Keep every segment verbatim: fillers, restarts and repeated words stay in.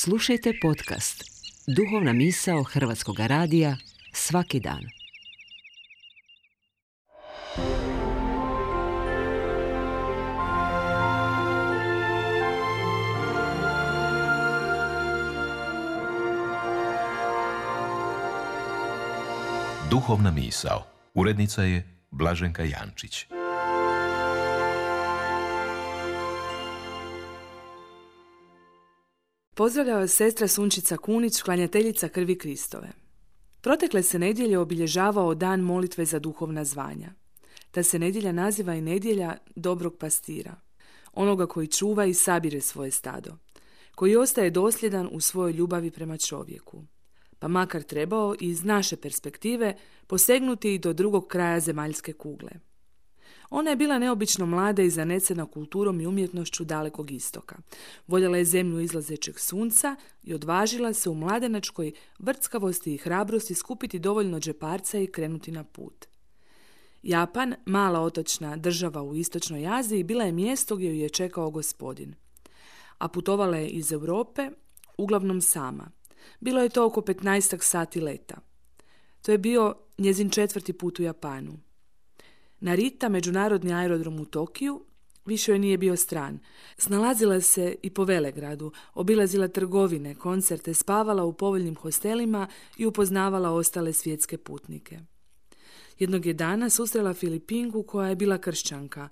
Slušajte podcast Duhovna misao Hrvatskog radija svaki dan. Duhovna misao. Urednica je Blaženka Jančić. Pozdravlja vas sestra Sunčica Kunić, klanjateljica krvi Kristove. Protekle se nedjelje obilježavao dan molitve za duhovna zvanja. Ta se nedjelja naziva i nedjelja dobrog pastira, onoga koji čuva i sabire svoje stado, koji ostaje dosljedan u svojoj ljubavi prema čovjeku, pa makar trebao iz naše perspektive posegnuti i do drugog kraja zemaljske kugle. Ona je bila neobično mlada i zanecena kulturom i umjetnošću dalekog istoka. Voljela je zemlju izlazećeg sunca i odvažila se u mladenačkoj vrckavosti i hrabrosti skupiti dovoljno džeparca i krenuti na put. Japan, mala otočna država u istočnoj Aziji, bila je mjesto gdje ju je čekao gospodin. A putovala je iz Europe, uglavnom sama. Bilo je to oko petnaestak sati leta. To je bio njezin četvrti put u Japanu. Narita, međunarodni aerodrom u Tokiju, više joj nije bio stran. Snalazila se i po Velegradu, obilazila trgovine, koncerte, spavala u povoljnim hostelima i upoznavala ostale svjetske putnike. Jednog je dana susrela Filipinku koja je bila kršćanka.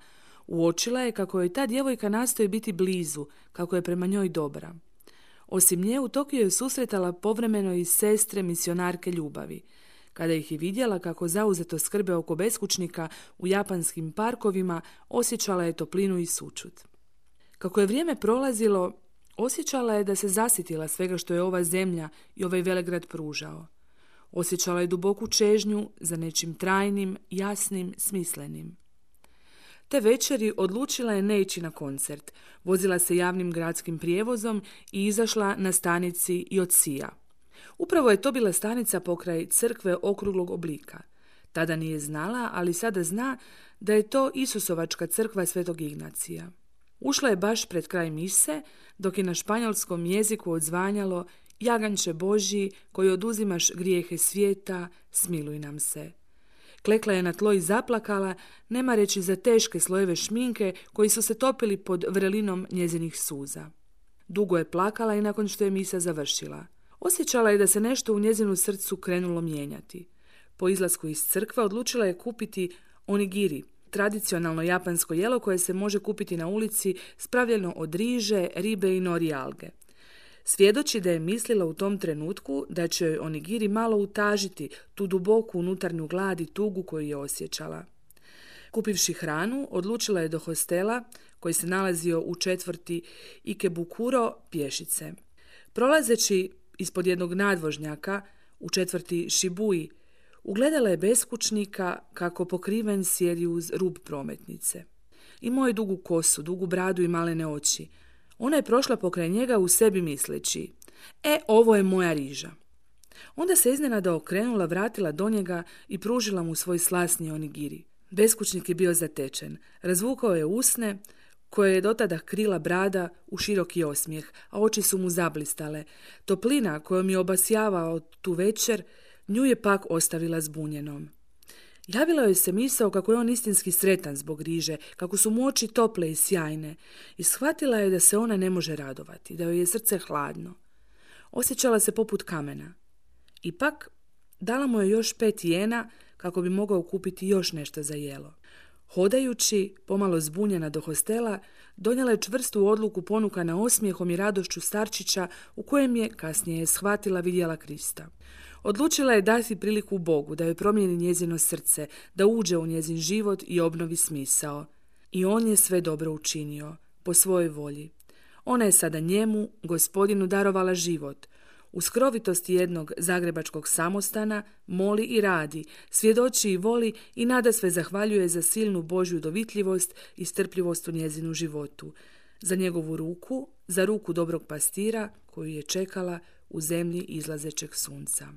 Uočila je kako joj ta djevojka nastoji biti blizu, kako je prema njoj dobra. Osim nje, u Tokiju je susretala povremeno i sestre misionarke ljubavi. Kada ih je vidjela kako zauzeto skrbe oko beskućnika u japanskim parkovima, osjećala je toplinu i sućut. Kako je vrijeme prolazilo, osjećala je da se zasitila svega što je ova zemlja i ovaj Velegrad pružao. Osjećala je duboku čežnju za nečim trajnim, jasnim, smislenim. Te večeri odlučila je ne ići na koncert. Vozila se javnim gradskim prijevozom i izašla na stanici Jotsia. Upravo je to bila stanica pokraj crkve okruglog oblika. Tada nije znala, ali sada zna da je to Isusovačka crkva Svetog Ignacija. Ušla je baš pred kraj mise, dok je na španjolskom jeziku odzvanjalo: Jaganče Božji, koji oduzimaš grijehe svijeta, smiluj nam se. Klekla je na tlo i zaplakala, nema reći za teške slojeve šminke koji su se topili pod vrelinom njezinih suza. Dugo je plakala i nakon što je misa završila. Osjećala je da se nešto u njezinu srcu krenulo mijenjati. Po izlasku iz crkve odlučila je kupiti onigiri, tradicionalno japansko jelo koje se može kupiti na ulici, spravljeno od riže, ribe i nori alge. Svjedoči da je mislila u tom trenutku da će joj onigiri malo utažiti tu duboku unutarnju glad i tugu koju je osjećala. Kupivši hranu, odlučila je do hostela koji se nalazio u četvrti Ikebukuro pješice. Prolazeći ispod jednog nadvožnjaka u četvrti Šibui, ugledala je beskućnika kako pokriven sjedi uz rub prometnice. Imao je dugu kosu, dugu bradu i malene oči. Ona je prošla pokraj njega u sebi misleći: E, ovo je moja riža. Onda se iznenada okrenula, vratila do njega i pružila mu svoj slasni onigiri. Beskućnik je bio zatečen. Razvukao je usne, koje je dotada krila brada, u široki osmijeh, a oči su mu zablistale. Toplina kojom je obasjavao tu večer, nju je pak ostavila zbunjenom. Javila joj se misao kako je on istinski sretan zbog riže, kako su mu oči tople i sjajne, i shvatila je da se ona ne može radovati, da joj je srce hladno. Osjećala se poput kamena. Ipak, dala mu je još pet jena kako bi mogao kupiti još nešto za jelo. Hodajući, pomalo zbunjena do hostela, donijela je čvrstu odluku ponukana osmijehom i radošću starčića u kojem je, kasnije je shvatila, vidjela Krista. Odlučila je dati priliku Bogu da joj promijeni njezino srce, da uđe u njezin život i obnovi smisao. I on je sve dobro učinio, po svojoj volji. Ona je sada njemu, gospodinu, darovala život. U skrovitosti jednog zagrebačkog samostana moli i radi, svjedoči i voli i nadasve zahvaljuje za silnu Božju dovitljivost i strpljivost u njezinu životu, za njegovu ruku, za ruku dobrog pastira koju je čekala u zemlji izlazećeg sunca.